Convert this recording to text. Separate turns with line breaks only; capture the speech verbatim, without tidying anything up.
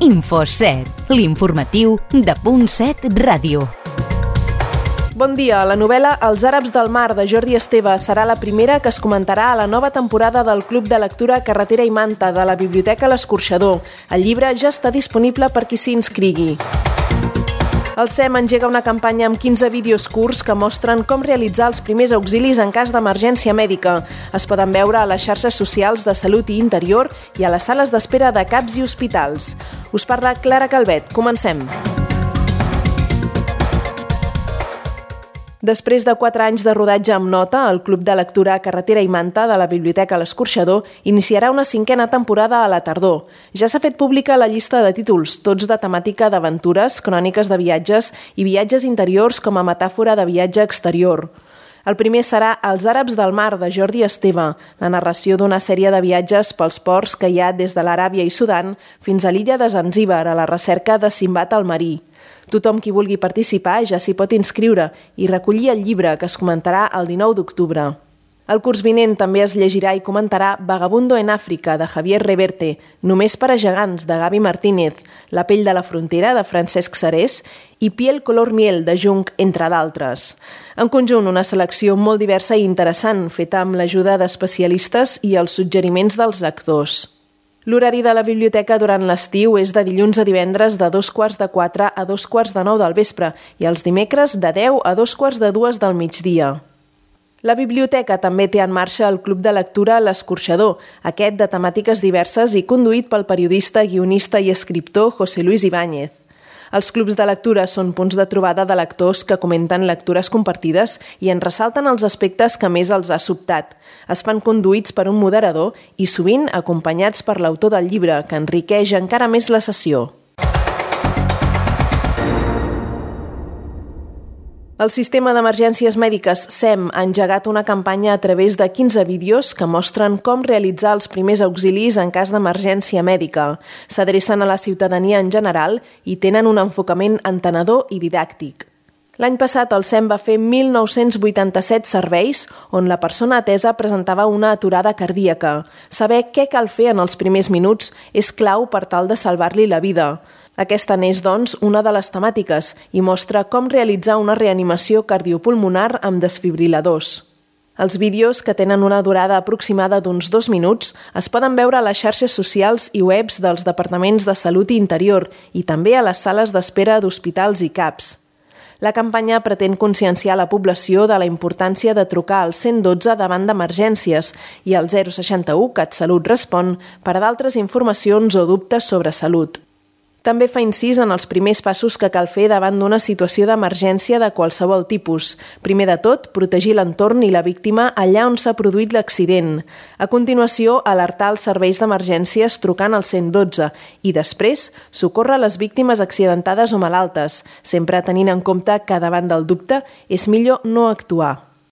InfoSet, l'informatiu de Punt set Ràdio.
Bon dia. La novel·la Els àrabs del mar, de Jordi Esteve, serà la primera que es comentarà a la nova temporada del Club de Lectura Carretera i Manta de la Biblioteca L'Escorxador. El llibre ja està disponible per qui s'hi inscrigui. El S E M engega una campanya amb quinze vídeos curts que mostren com realitzar els primers auxilis en cas d'emergència mèdica. Es poden veure a les xarxes socials de Salut i Interior i a les sales d'espera de C A Ps i hospitals. Us parla Clara Calvet. Comencem. Després de quatre anys de rodatge amb nota, el Club de Lectura Carretera i Manta de la Biblioteca L'Escorxador iniciarà una cinquena temporada a la tardor. Ja s'ha fet pública la llista de títols, tots de temàtica d'aventures, cròniques de viatges i viatges interiors com a metàfora de viatge exterior. El primer serà Els àrabs del mar, de Jordi Esteve, la narració d'una sèrie de viatges pels ports que hi ha des de l'Aràbia i Sudan fins a l'illa de Zanzíbar, a la recerca de Simbad el marí. Tothom qui vulgui participar ja s'hi pot inscriure i recollir el llibre, que es comentarà el dinou d'octubre. El curs vinent també es llegirà i comentarà Vagabundo en Àfrica, de Javier Reverte, Només per a gegants, de Gaby Martínez, La pell de la frontera, de Francesc Sarés i Piel color miel, de Jung, entre d'altres. En conjunt, una selecció molt diversa i interessant, feta amb l'ajuda d'especialistes i els suggeriments dels lectors. L'horari de la biblioteca durant l'estiu és de dilluns a divendres de dos quarts de quatre a dos quarts de nou del vespre i els dimecres de deu a dos quarts de dues del migdia. La biblioteca també té en marxa el Club de Lectura L'Escorxador, aquest de temàtiques diverses i conduït pel periodista, guionista i escriptor José Luis Ibáñez. Els clubs de lectura són punts de trobada de lectors que comenten lectures compartides i en ressalten els aspectes que més els ha sobtat. Es fan conduïts per un moderador i sovint acompanyats per l'autor del llibre, que enriqueix encara més la sessió. El Sistema d'Emergències Mèdiques S E M ha engegat una campanya a través de quinze vídeos que mostren com realitzar els primers auxilis en cas d'emergència mèdica. S'adrecen a la ciutadania en general i tenen un enfocament entenedor i didàctic. L'any passat el S E M va fer mil nou-cents vuitanta-set serveis on la persona atesa presentava una aturada cardíaca. Saber què cal fer en els primers minuts és clau per tal de salvar-li la vida. Aquesta n'és, doncs, una de les temàtiques i mostra com realitzar una reanimació cardiopulmonar amb desfibriladors. Els vídeos, que tenen una durada aproximada d'uns dos minuts, es poden veure a les xarxes socials i webs dels departaments de Salut i Interior i també a les sales d'espera d'hospitals i C A Ps. La campanya pretén conscienciar la població de la importància de trucar al cent dotze davant d'emergències i al zero seixanta-u CatSalut Respon per a d'altres informacions o dubtes sobre salut. També fa incís en els primers passos que cal fer davant d'una situació d'emergència de qualsevol tipus. Primer de tot, protegir l'entorn i la víctima allà on s'ha produït l'accident. A continuació, alertar els serveis d'emergències trucant al cent dotze i després socórrer les víctimes accidentades o malaltes, sempre tenint en compte que davant del dubte és millor no actuar.